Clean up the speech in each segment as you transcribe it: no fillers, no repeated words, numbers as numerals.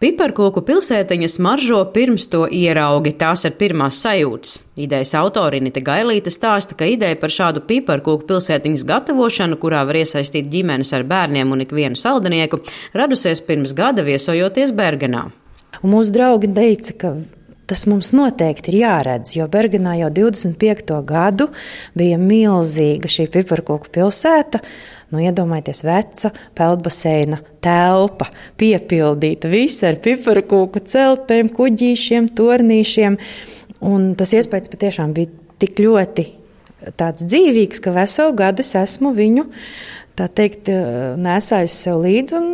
Piparkūku pilsētiņa smaržo pirms to ieraugi, tās ir pirmās sajūtas. Idejas autori Inita Gailīte stāsta, ka ideja par šādu piparkūku pilsētiņas gatavošanu, kurā var iesaistīt ģimenes ar bērniem un ikvienu saldinieku, radusies pirms gada viesojoties Bergenā. Un mūsu draugi teica, ka tas mums noteikti ir jāredz, jo Bergenā jau 25. gadu bija milzīga šī piparkūku pilsēta. Iedomājieties, veca peldbaseina telpa, piepildīta visa ar piparkūku celtēm, kuģīšiem, tornīšiem. Un tas iespējas patiešām bija tik ļoti tāds dzīvīgs, ka veselu gadu es esmu viņu, tā teikt, nesājusi sev līdzi un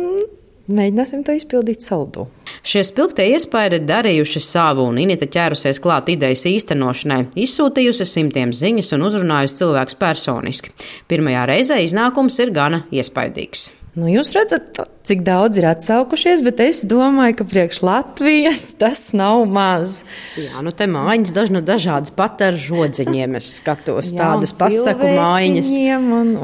mēģināsim to izpildīt saldū. Šie spilgtie iespaidi darījuši savu, un Inita ķērusies klāt idejas īstenošanai, izsūtījusi simtiem ziņas un uzrunājusi cilvēkus personiski. Pirmajā reizē iznākums ir gana iespaidīgs. Jūs redzat, cik daudz ir atsaukušies, bet es domāju, ka priekš Latvijas tas nav maz. Jā, te mājiņas dažādas pat ar žodziņiem es skatos, tādas pasaku mājiņas.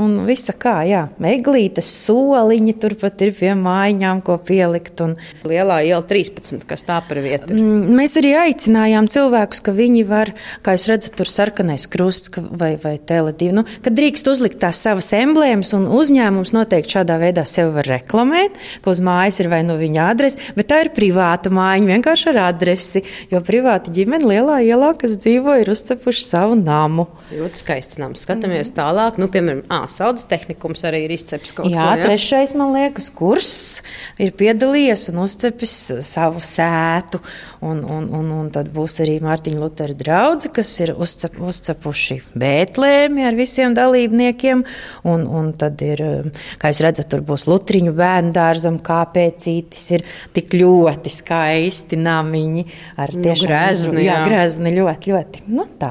Un visa kā, jā. Eglītes soliņi turpat ir pie mājiņām, ko pielikt. Lielā iela 13, kas tā par vietu? Mēs arī aicinājām cilvēkus, ka viņi var, kā jūs redzat, tur sarkanais krusts vai Tele2, kad drīkst uzlikt tās savas emblēmas un uzņēmums noteikti šādā veidā sevi var reklamēt, ka uz mājas ir vai nu viņa adrese, bet tā ir privāta mājiņa, vienkārši ar adresi, jo privāta ģimene lielā ielā, kas dzīvo, ir uzcepuši savu namu. Ļoti skaists nams. Skatāmies tālāk, piemēram, Saudas tehnikums arī ir izceps kaut ko. Jā, trešais, man liekas, kurs ir piedalījies un uzcepis savu sētu, un tad būs arī Mārtiņa Lutera draudze, kas ir uzcepuši Bētlēmi ar visiem dalībniekiem, un tad ir, kā jūs redzat, tur būs Lutriņu bērnu dārzam, kāpēcītis ir tik ļoti skaisti namiņi ar tiešām grezni. Jā, grezni ļoti. Tā.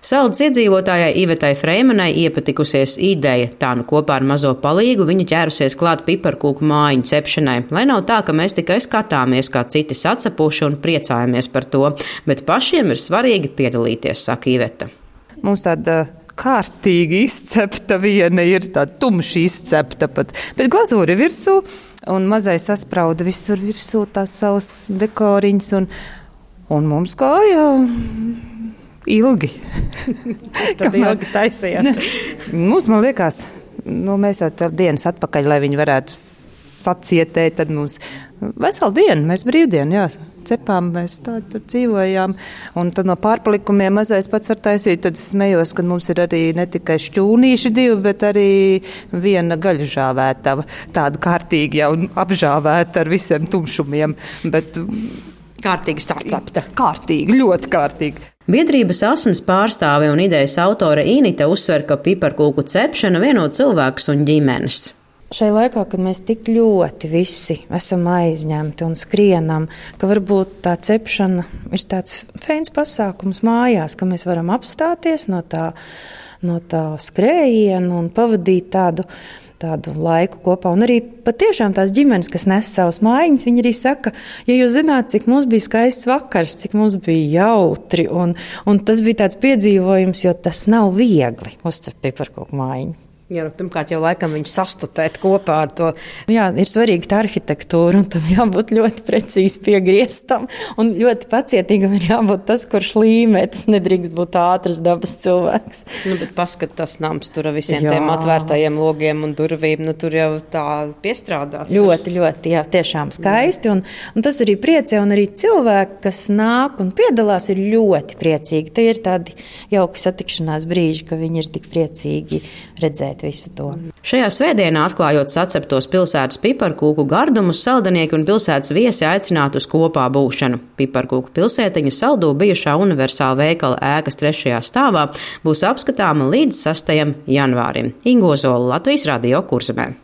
Saudas iedzīvotājai Ivetai Freimanai iepatikusies ideja. Tā kopā ar mazo palīgu viņa ķērusies klāt piparkūku mājiņu cepšanai. Lai nav tā, ka mēs tikai skatāmies, kā citi sacepuši un priecājamies par to, bet pašiem ir svarīgi piedalīties, saka Iveta. Mums tāda kārtīgi izcepta viena ir, tāda tumši izcepta pat, bet glazūri virsū un mazai sasprauda visur virsū tās savas dekoriņas un mums gāja ilgi. Tad ilgi taisījāt. Mums, man liekas, mēs jau tā dienas atpakaļ, lai viņi varētu sacietēt, tad mums veselu dienu, mēs brīvdienu, cepām, mēs tā tur dzīvojām, un tad no pārpalikumiem mazais pats var taisīt, tad es smējos, ka mums ir arī ne tikai šķūnīši divi, bet arī viena gaļžāvētava, tāda kārtīgi jau apžāvēta ar visiem tumšumiem, bet kārtīgi sacepta. Kārtīgi, ļoti kārtīgi. Biedrības Asnas pārstāve un idejas autore Inita uzsver, ka piparkūku cepšana vieno cilvēkus un ģimenes. Šai laikā, kad mēs tik ļoti visi esam aizņemti un skrienam, ka varbūt tā cepšana ir tāds feins pasākums mājās, ka mēs varam apstāties no tā skrējiena un pavadīt tādu laiku kopā. Un arī patiešām tās ģimenes, kas nes savus mājiņas, viņi arī saka, ja jūs zināt, cik mums bija skaists vakars, cik mums bija jautri, un tas bija tāds piedzīvojums, jo tas nav viegli uzcept piparkūku mājiņu. Jā, pirmkārt jau laikam viņu sastutēt kopā ar to. Jā, ir svarīga tā arhitektūra, un tam jābūt ļoti precīzi piegrieztam, un ļoti pacietīgam ir jābūt tas, kurš līmē, tas nedrīkst būt ātras dabas cilvēks. Bet paskat tas nams tur ar visiem tiem atvērtajiem logiem un durvīm, tur jau tā piestrādāts. Ļoti, jā, tiešām skaisti, un tas arī priecē, un arī cilvēki, kas nāk un piedalās, ir ļoti priecīgi. Tie ir tādi jauki satikšanās brīži, ka viņi ir tik priecīgi redzēt visu to. Šajā svētdienā, atklājot saceptos pilsētas piparkūku gardumus, saldinieki un pilsētas viesi aicinātu uz kopā būšanu. Piparkūku pilsētiņa saldū bijušā universāla veikala ēkas 3. stāvā būs apskatāma līdz 6. janvārim. Ingo Zola, Latvijas Radio Kurzemē.